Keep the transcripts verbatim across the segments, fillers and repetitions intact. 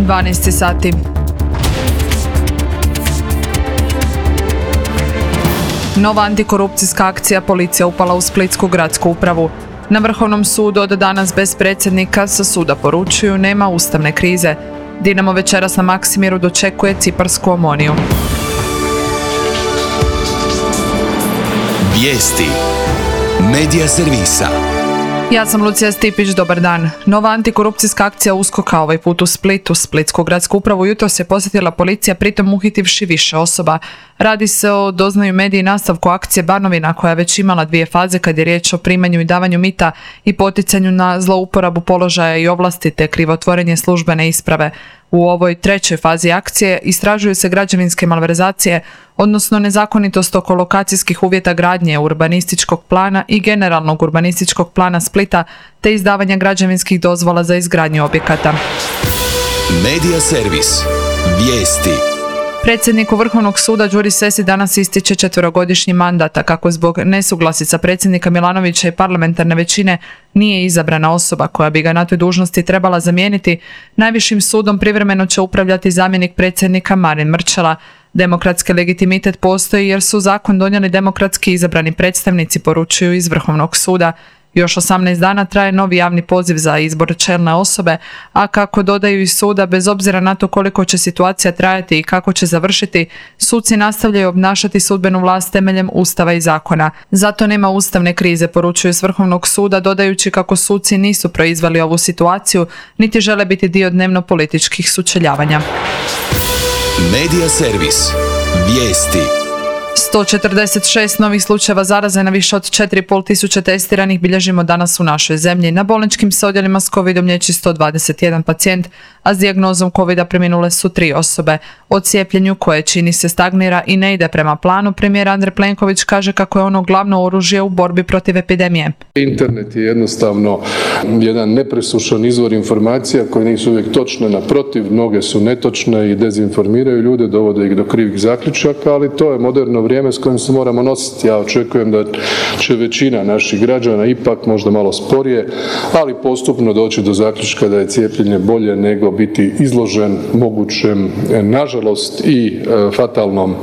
dvanaest sati. Nova antikorupcijska akcija, policija upala u Splitsku gradsku upravu. Na Vrhovnom sudu od danas bez predsjednika sa suda poručuju nema ustavne krize. Dinamo večeras na Maksimiru dočekuje ciparsku Omoniju. Vijesti Medija servisa. Ja sam Lucija Stipić, dobar dan. Nova antikorupcijska akcija USKOK-a ovaj put u Splitu. Splitsku gradsku upravu jutros je posjetila policija, pritom uhitivši više osoba. Radi se o, doznaju mediji, nastavku akcije Banovina, koja je već imala dvije faze kad je riječ o primanju i davanju mita i poticanju na zlouporabu položaja i ovlasti te krivotvorenje službene isprave. U ovoj trećoj fazi akcije istražuju se građevinske malverzacije, odnosno nezakonitost oko lokacijskih uvjeta gradnje, urbanističkog plana i generalnog urbanističkog plana Splita, te izdavanja građevinskih dozvola za izgradnju objekata. Medija servis. Vijesti. Predsjedniku Vrhovnog suda Đuri Sesi danas ističe četverogodišnji mandat, a kako zbog nesuglasica predsjednika Milanovića i parlamentarne većine nije izabrana osoba koja bi ga na toj dužnosti trebala zamijeniti, najvišim sudom privremeno će upravljati zamjenik predsjednika Marin Mrčela. Demokratski legitimitet postoji jer su zakon donijeli demokratski izabrani predstavnici, poručuju iz Vrhovnog suda. Još osamnaest dana traje novi javni poziv za izbor čelne osobe, a kako dodaju iz suda, bez obzira na to koliko će situacija trajati i kako će završiti, suci nastavljaju obnašati sudbenu vlast temeljem Ustava i zakona. Zato nema ustavne krize, poručuju s Vrhovnog suda, dodajući kako suci nisu proizveli ovu situaciju, niti žele biti dio dnevno-političkih sučeljavanja. Medija servis. Vijesti. sto četrdeset šest novih slučajeva zaraze na više od četiri i pol tisuće testiranih bilježimo danas u našoj zemlji. Na bolničkim se odjelima s covidom liječi sto dvadeset jedan pacijent, a s dijagnozom covida preminule su tri osobe. O cijepljenju, koje čini se stagnira i ne ide prema planu, premijer Andrej Plenković kaže kako je ono glavno oružje u borbi protiv epidemije. Internet je jednostavno jedan nepresušan izvor informacija koje nisu uvijek točne, naprotiv, mnoge su netočne i dezinformiraju ljude, dovode ih do krivih zaključaka, ali to je moderno vrijeme s kojim se moramo nositi. Ja očekujem da će većina naših građana ipak možda malo sporije, ali postupno doći do zaključka da je cijepljenje bolje nego biti izložen mogućem, nažalost, i e, fatalnom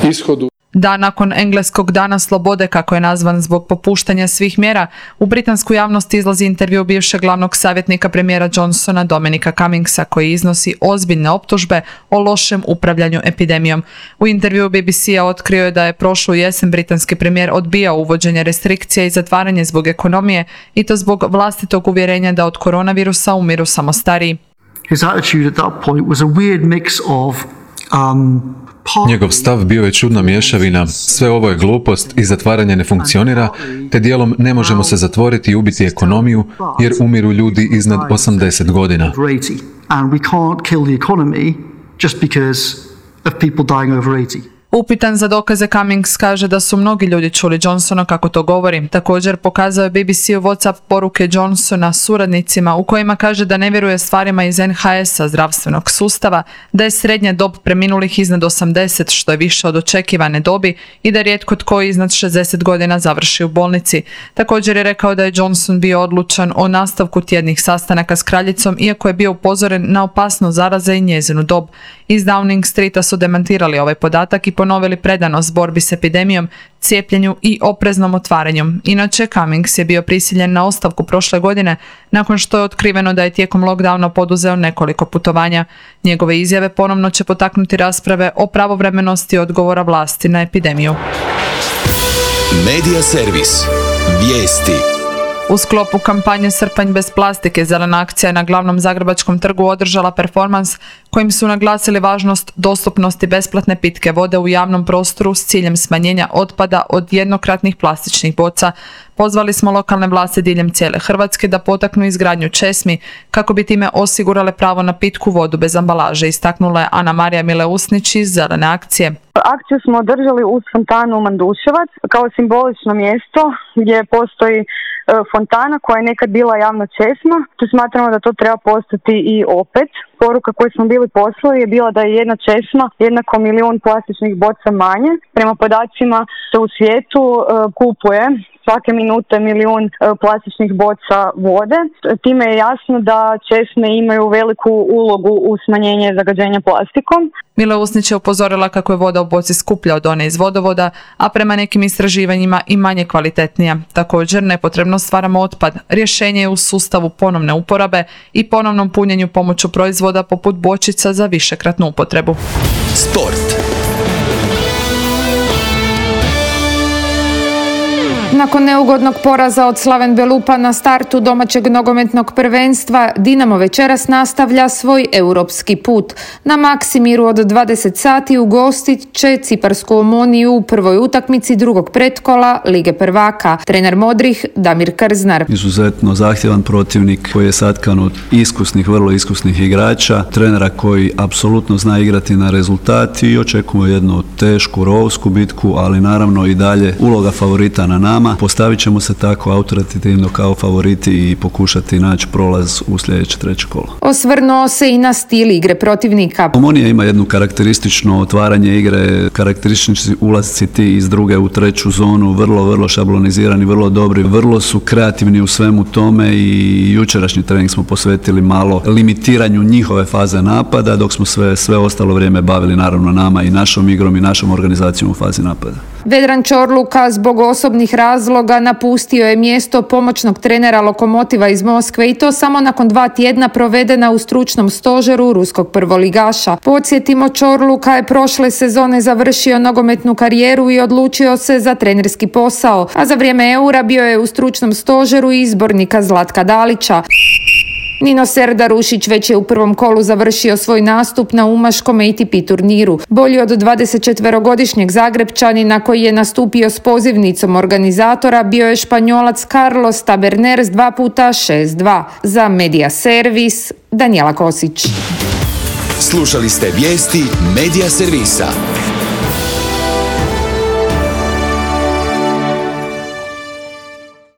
ishodu. Da, nakon engleskog dana slobode, kako je nazvan zbog popuštanja svih mjera, u britansku javnost izlazi intervju bivšeg glavnog savjetnika premijera Johnsona Dominika Cummingsa, koji iznosi ozbiljne optužbe o lošem upravljanju epidemijom. U intervju B B C-a otkrio je da je prošlu jesen britanski premijer odbijao uvođenje restrikcija i zatvaranje zbog ekonomije, i to zbog vlastitog uvjerenja da od koronavirusa umiru samo stariji. His attitude at that point was a weird mix of um, Njegov stav bio je čudna mješavina, sve ovo je glupost i zatvaranje ne funkcionira, te dijelom ne možemo se zatvoriti i ubiti ekonomiju jer umiru ljudi iznad osamdeset godina. Upitan za dokaze, Cummings kaže da su mnogi ljudi čuli Johnsona kako to govori. Također pokazao je B B C u WhatsApp poruke Johnsona suradnicima u kojima kaže da ne vjeruje stvarima iz N H S-a, zdravstvenog sustava, da je srednja dob preminulih iznad osamdeset, što je više od očekivane dobi, i da rijetko tko iznad šezdeset godina završi u bolnici. Također je rekao da je Johnson bio odlučan o nastavku tjednih sastanaka s kraljicom, iako je bio upozoren na opasnost zaraze i njezinu dob. Iz Downing Streeta su demantirali ovaj podatak i ponovili predanost borbi s epidemijom, cijepljenju i opreznom otvaranju. Inače, Cummings je bio prisiljen na ostavku prošle godine nakon što je otkriveno da je tijekom lockdowna poduzeo nekoliko putovanja. Njegove izjave ponovno će potaknuti rasprave o pravovremenosti odgovora vlasti na epidemiju. Medija servis. Vijesti. U sklopu kampanje Srpanj bez plastike, Zelena akcija je na glavnom zagrebačkom trgu održala performans kojim su naglasili važnost dostupnosti besplatne pitke vode u javnom prostoru s ciljem smanjenja otpada od jednokratnih plastičnih boca. Pozvali smo lokalne vlasti diljem cijele Hrvatske da potaknu izgradnju česmi kako bi time osigurale pravo na pitku vodu bez ambalaže, istaknula je Ana Marija Mileusnić iz Zelene akcije. Akciju smo održali uz fontanu Manduševac kao simbolično mjesto gdje postoji fontana koja je nekad bila javna česma, te smatramo da to treba postati i opet. Poruka koju smo bili poslali je bila da je jedna česma jednako milijun plastičnih boca manje. Prema podacima se u svijetu uh, kupuje svake minute milijun e, plastičnih boca vode. Time je jasno da česme imaju veliku ulogu u smanjenje zagađenja plastikom. Mila Usnić je upozorila kako je voda u boci skuplja od one iz vodovoda, a prema nekim istraživanjima i manje kvalitetnija. Također, nepotrebno stvaramo otpad. Rješenje je u sustavu ponovne uporabe i ponovnom punjenju pomoću proizvoda poput bočica za višekratnu upotrebu. Sport. Nakon neugodnog poraza od Slaven Belupa na startu domaćeg nogometnog prvenstva, Dinamo večeras nastavlja svoj europski put. Na Maksimiru od dvadeset sati ugostit će Ciparsku Omoniju u prvoj utakmici drugog pretkola Lige prvaka. Trener Modrih Damir Krznar. Izuzetno zahtjevan protivnik koji je satkan od iskusnih, vrlo iskusnih igrača, trenera koji apsolutno zna igrati na rezultat i očekujemo jednu tešku, rovsku bitku, ali naravno i dalje uloga favorita na nama. Postavit ćemo se tako autoritativno kao favoriti i pokušati naći prolaz u sljedeće treće kolo. Osvrnuo se i na stil igre protivnika. Omonija ima jednu karakteristično otvaranje igre, karakteristični ulazci ti iz druge u treću zonu, vrlo, vrlo šablonizirani, vrlo dobri, vrlo su kreativni u svemu tome i jučerašnji trening smo posvetili malo limitiranju njihove faze napada, dok smo sve, sve ostalo vrijeme bavili naravno nama i našom igrom i našom organizacijom u fazi napada. Vedran Čorluka zbog osobnih razloga napustio je mjesto pomoćnog trenera Lokomotiva iz Moskve i to samo nakon dva tjedna provedena u stručnom stožeru ruskog prvoligaša. Podsjetimo, Čorluka je prošle sezone završio nogometnu karijeru i odlučio se za trenerski posao, a za vrijeme Eura bio je u stručnom stožeru izbornika Zlatka Dalića. Nino Serdarušić već je u prvom kolu završio svoj nastup na umaškom A T P turniru. Bolji od dvadesetčetverogodišnjeg Zagrebčanina koji je nastupio s pozivnicom organizatora bio je Španjolac Carlos Taberner s dva puta šest dva. Za Media Servis, Danijela Kosić. Slušali ste vijesti Media Servisa.